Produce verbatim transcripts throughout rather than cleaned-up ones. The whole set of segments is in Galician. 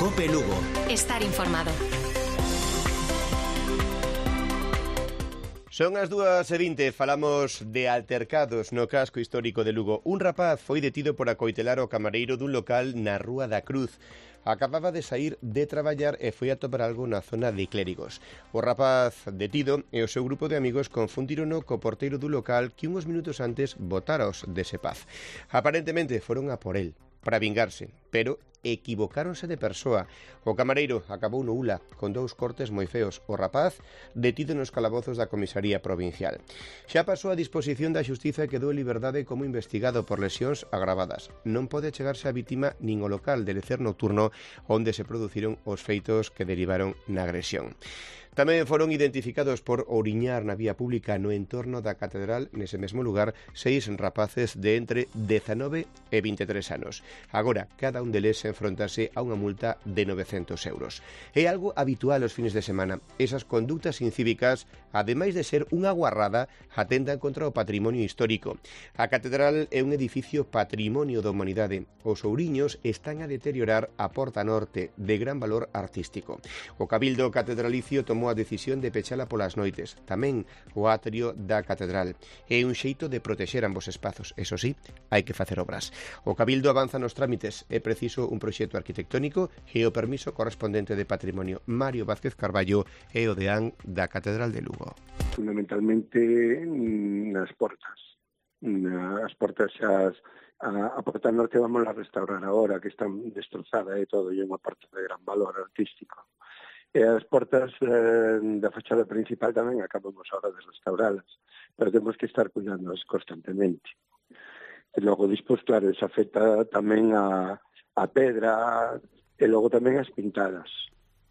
Cope Lugo. Estar informado. Son as dúas e vinte, falamos de altercados no casco histórico de Lugo. Un rapaz foi detido por acoitelar o camareiro dun local na Rúa da Cruz. Acababa de sair de traballar e foi a topar algo na zona de Clérigos. O rapaz detido e o seu grupo de amigos confundírono co porteiro do local que uns minutos antes botaros dese paz. Aparentemente foron a por el para vingarse, pero equivocáronse de persoa. O camareiro acabou no ula con dous cortes moi feos. O rapaz detido nos calabozos da comisaría provincial. Xa pasou a disposición da xustiza e quedou en liberdade como investigado por lesións agravadas. Non pode chegarse a vítima nin o local de lecer nocturno onde se produciron os feitos que derivaron na agresión. Tamén foron identificados por ouriñar na vía pública no entorno da catedral, nese mesmo lugar, seis rapaces de entre dezanove e vinte e tres anos. Agora, cada un deles enfrontase a unha multa de novecentos euros. É algo habitual os fines de semana. Esas conductas incívicas, ademais de ser unha guarrada, atentan contra o patrimonio histórico. A catedral é un edificio patrimonio da humanidade. Os ouriños están a deteriorar a porta norte, de gran valor artístico. O Cabildo Catedralicio tomou a decisión de pechala polas noites, tamén o atrio da catedral. É un xeito de protexer ambos espazos. Eso sí, hai que facer obras. O Cabildo avanza nos trámites. É preciso un proxecto arquitectónico e o permiso correspondente de patrimonio. Mario Vázquez Carballo é o deán da Catedral de Lugo. Fundamentalmente nas portas. As portas xas a, a porta norte vamos a restaurar agora, que están destrozada e todo, e é unha porta de gran valor artístico. E as portas eh, da fachada principal tamén acabamos ahora de restauralas, pero temos que estar cuidándolas constantemente. E logo, despois, claro, se afecta tamén a, a pedra e logo tamén as pintadas.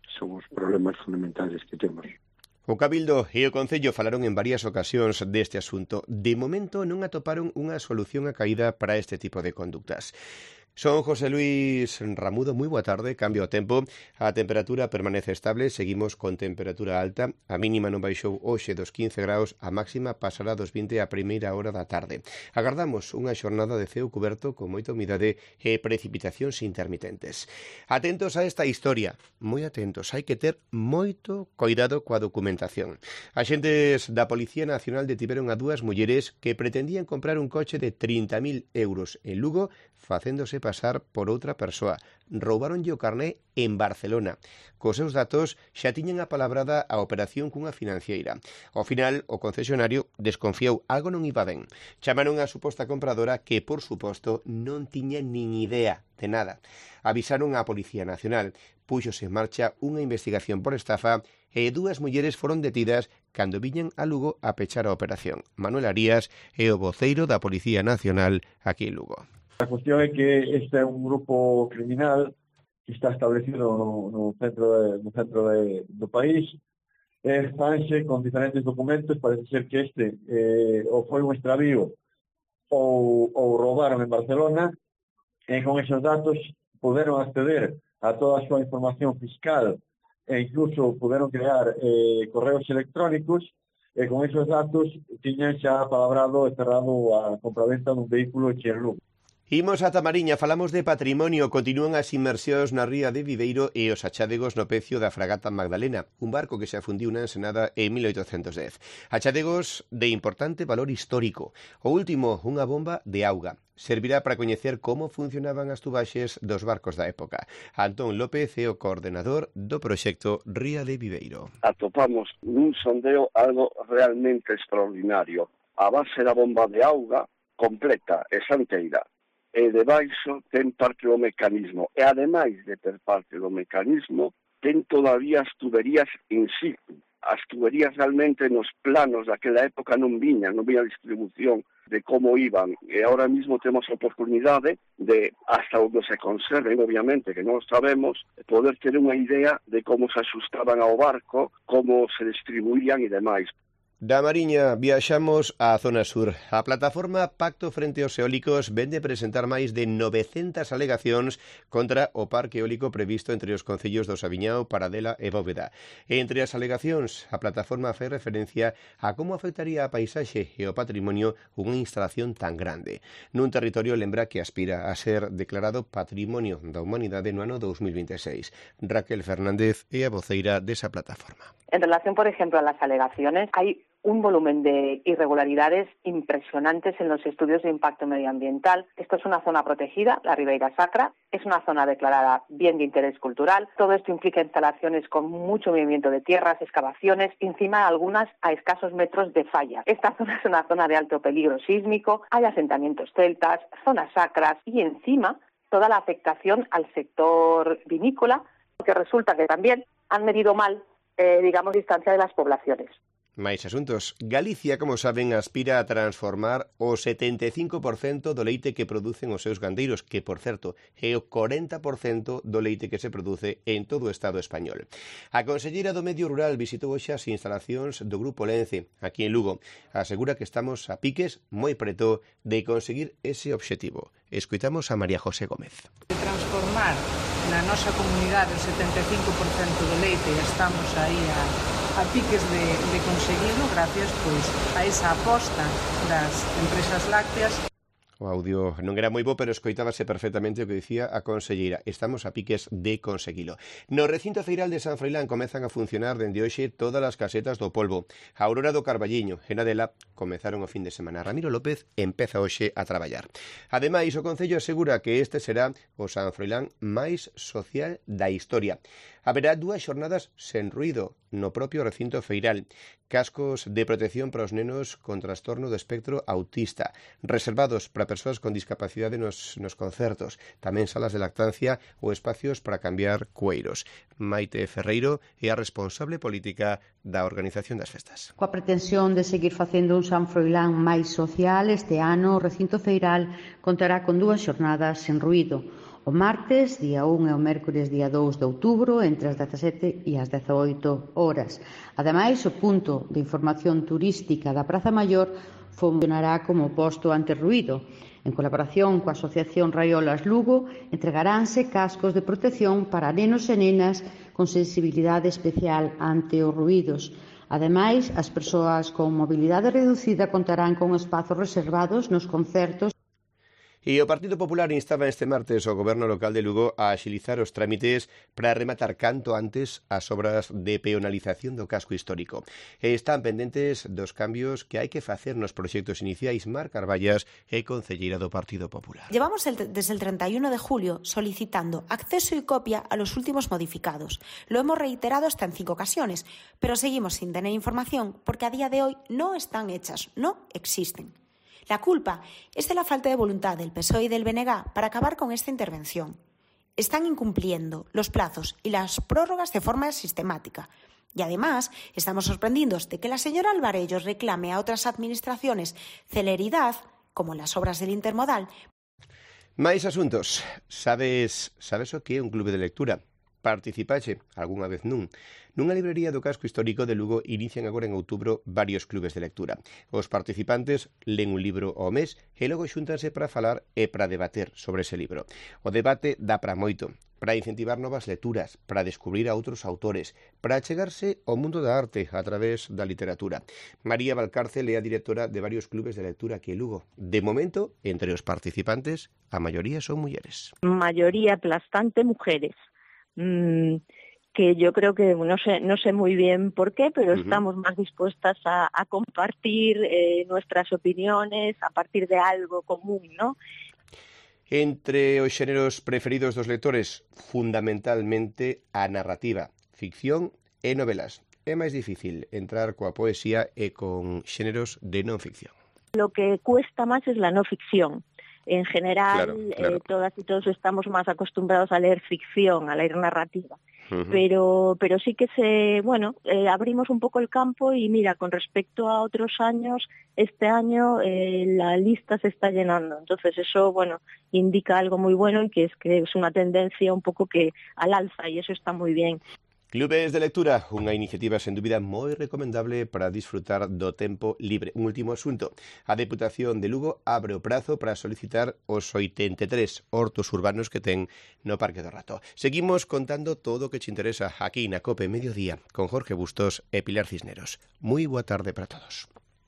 Son os problemas fundamentales que temos. O Cabildo e o Concello falaron en varias ocasións deste asunto. De momento non atoparon unha solución a caída para este tipo de conductas. Son José Luis Ramudo, moi boa tarde, cambio o tempo, a temperatura permanece estable, seguimos con temperatura alta, a mínima non baixou hoxe dos quince graus, a máxima pasará dos vinte a primeira hora da tarde. Agardamos unha xornada de ceo cuberto con moita humidade e precipitacións intermitentes. Atentos a esta historia, moi atentos, hai que ter moito cuidado coa documentación. Axentes da Policía Nacional detiveron a dúas mulleres que pretendían comprar un coche de trinta mil euros en Lugo, facéndose pasar por outra persoa. Roubaronlle o carné en Barcelona. Cos seus datos xa tiñan apalabrada a operación cunha financiera. Ao final, o concesionario desconfiou, algo non iba ben. Chamaron a suposta compradora que, por suposto, non tiña nin idea de nada. Avisaron á Policía Nacional. Puxose en marcha unha investigación por estafa e dúas mulleres foron detidas cando viñan a Lugo a pechar a operación. Manuel Arías é o voceiro da Policía Nacional aquí en Lugo. A cuestión é que este é un grupo criminal que está establecido no, no centro, de, no centro de, do país. E fanse con diferentes documentos. Parece ser que este eh, ou foi un extravío ou, ou roubaron en Barcelona, e con esos datos puderon acceder a toda a súa información fiscal e incluso puderon crear eh, correos electrónicos, e con esos datos tiñan xa palabrado e cerrado a compraventa dun vehículo en Lugo. Imos a Tamariña, falamos de patrimonio, continúan as inmersións na ría de Viveiro e os achadegos no pecio da fragata Magdalena, un barco que se afundiu na ensenada en mil oitocentos dez. Achadegos de importante valor histórico. O último, unha bomba de auga. Servirá para coñecer como funcionaban as tubaxes dos barcos da época. Antón López é o coordenador do proxecto Ría de Viveiro. Atopamos nun sondeo algo realmente extraordinario. A base da bomba de auga completa e santeira. E debaixo ten parte do mecanismo. E ademais de ter parte do mecanismo, ten todavía as tuberías in situ. As tuberías realmente nos planos daquela época non viñan, non viña a distribución de como iban. E ahora mismo temos a oportunidade de, hasta onde se conserven, obviamente, que non sabemos, poder ter unha idea de como se asustaban ao barco, como se distribuían e demais. Da Mariña viaxamos á zona sur. A plataforma Pacto Frente aos Eólicos vende presentar máis de novecentas alegacións contra o parque eólico previsto entre os concellos do Sabiñao, Paradela e Bóveda. Entre as alegacións, a plataforma fai referencia a como afectaría a paisaxe e o patrimonio unha instalación tan grande. Nun territorio lembra que aspira a ser declarado Patrimonio da Humanidade no ano dos mil veintiséis. Raquel Fernández é a voceira desa plataforma. En relación, por ejemplo, a las alegaciones, hay un volumen de irregularidades impresionantes en los estudios de impacto medioambiental. Esto es una zona protegida, la Ribeira Sacra, es una zona declarada bien de interés cultural. Todo esto implica instalaciones con mucho movimiento de tierras, excavaciones, encima algunas a escasos metros de falla. Esta zona es una zona de alto peligro sísmico, hay asentamientos celtas, zonas sacras y encima toda la afectación al sector vinícola, porque resulta que también han medido mal, eh, digamos, distancia de las poblaciones. Máis asuntos. Galicia, como saben, aspira a transformar o setenta e cinco por cento do leite que producen os seus gandeiros, que, por certo, é o corenta por cento do leite que se produce en todo o Estado español. A conselleira do Medio Rural visitou hoxe as instalacións do Grupo Lence, aquí en Lugo. Asegura que estamos a piques moi preto de conseguir ese obxectivo. Escoitamos a María José Gómez. Transformar na nosa comunidade o setenta e cinco por cento do leite, estamos aí a a piques de, de conseguirlo gracias pois, a esa aposta das empresas lácteas. O audio non era moi bo, pero escoitábase perfectamente o que dicía a conselleira. Estamos a piques de conseguilo. No recinto feiral de San Froilán comezan a funcionar dende hoxe todas as casetas do polvo. A Aurora do Carballiño e Nadela comezaron o fin de semana. Ramiro López empeza hoxe a traballar. Ademais, o Concello asegura que este será o San Froilán máis social da historia. Haberá dúas xornadas sen ruído no propio recinto feiral. Cascos de protección para os nenos con trastorno do espectro autista, reservados para persoas con discapacidade nos, nos concertos, tamén salas de lactancia ou espacios para cambiar cueiros. Maite Ferreiro é a responsable política da organización das festas. Coa pretensión de seguir facendo un San Froilán máis social, este ano o recinto feiral contará con dúas xornadas sen ruído. O martes, día un, e o mércores, día dous de outubro, entre as dezasete e as dezaoito horas. Ademais, o punto de información turística da Praza Maior funcionará como posto antirruído. En colaboración coa Asociación Raiolas Lugo, entregaránse cascos de protección para nenos e nenas con sensibilidade especial ante os ruídos. Ademais, as persoas con mobilidade reducida contarán con espazos reservados nos concertos. E o Partido Popular instaba este martes ao Goberno local de Lugo a axilizar os trámites para rematar canto antes as obras de peonalización do casco histórico. E están pendentes dos cambios que hai que facer nos proxectos iniciais. Mar Carballas é concelleira do Partido Popular. Llevamos el, desde el treinta y uno de julio solicitando acceso y copia a los últimos modificados. Lo hemos reiterado hasta en cinco ocasiones, pero seguimos sin tener información porque a día de hoy no están hechas, no existen. La culpa es de la falta de voluntad del P S O E y del B N G para acabar con esta intervención. Están incumpliendo los plazos y las prórrogas de forma sistemática. Y además, estamos sorprendidos de que la señora Alvarellos reclame a otras administraciones celeridad, como en las obras del intermodal. Máis asuntos. Sabes, sabes o que é un clube de lectura? Participaxe algunha vez nun. Nunha librería do casco histórico de Lugo inician agora en outubro varios clubes de lectura. Os participantes len un libro ao mes e logo xúntanse para falar e para debater sobre ese libro. O debate dá para moito, para incentivar novas lecturas, para descubrir a outros autores, para achegarse ao mundo da arte a través da literatura. María Valcárcel é a directora de varios clubes de lectura aquí en Lugo. De momento, entre os participantes, a maioría son mulleres. Mayoría aplastante mujeres. Mm, que yo creo que no sé no sé muy bien por qué, pero uh-huh. estamos más dispuestas a, a compartir eh, nuestras opiniones a partir de algo común, ¿no? Entre os xéneros preferidos dos lectores, fundamentalmente a narrativa, ficción e novelas. É máis difícil entrar coa poesía e con xéneros de non ficción. Lo que cuesta más es la no ficción. En general, claro, claro. Eh, todas y todos estamos más acostumbrados a leer ficción, a leer narrativa. Uh-huh. Pero, pero sí que se, bueno, eh, abrimos un poco el campo y mira, con respecto a otros años, este año eh, la lista se está llenando. Entonces eso, bueno, indica algo muy bueno y que es que es una tendencia un poco que al alza y eso está muy bien. Clubes de lectura, unha iniciativa sen dúbida moi recomendable para disfrutar do tempo libre. Un último asunto. A Deputación de Lugo abre o prazo para solicitar os oitenta e tres hortos urbanos que ten no Parque do Rato. Seguimos contando todo o que te interesa aquí na COPE Mediodía con Jorge Bustos e Pilar Cisneros. Moi boa tarde para todos.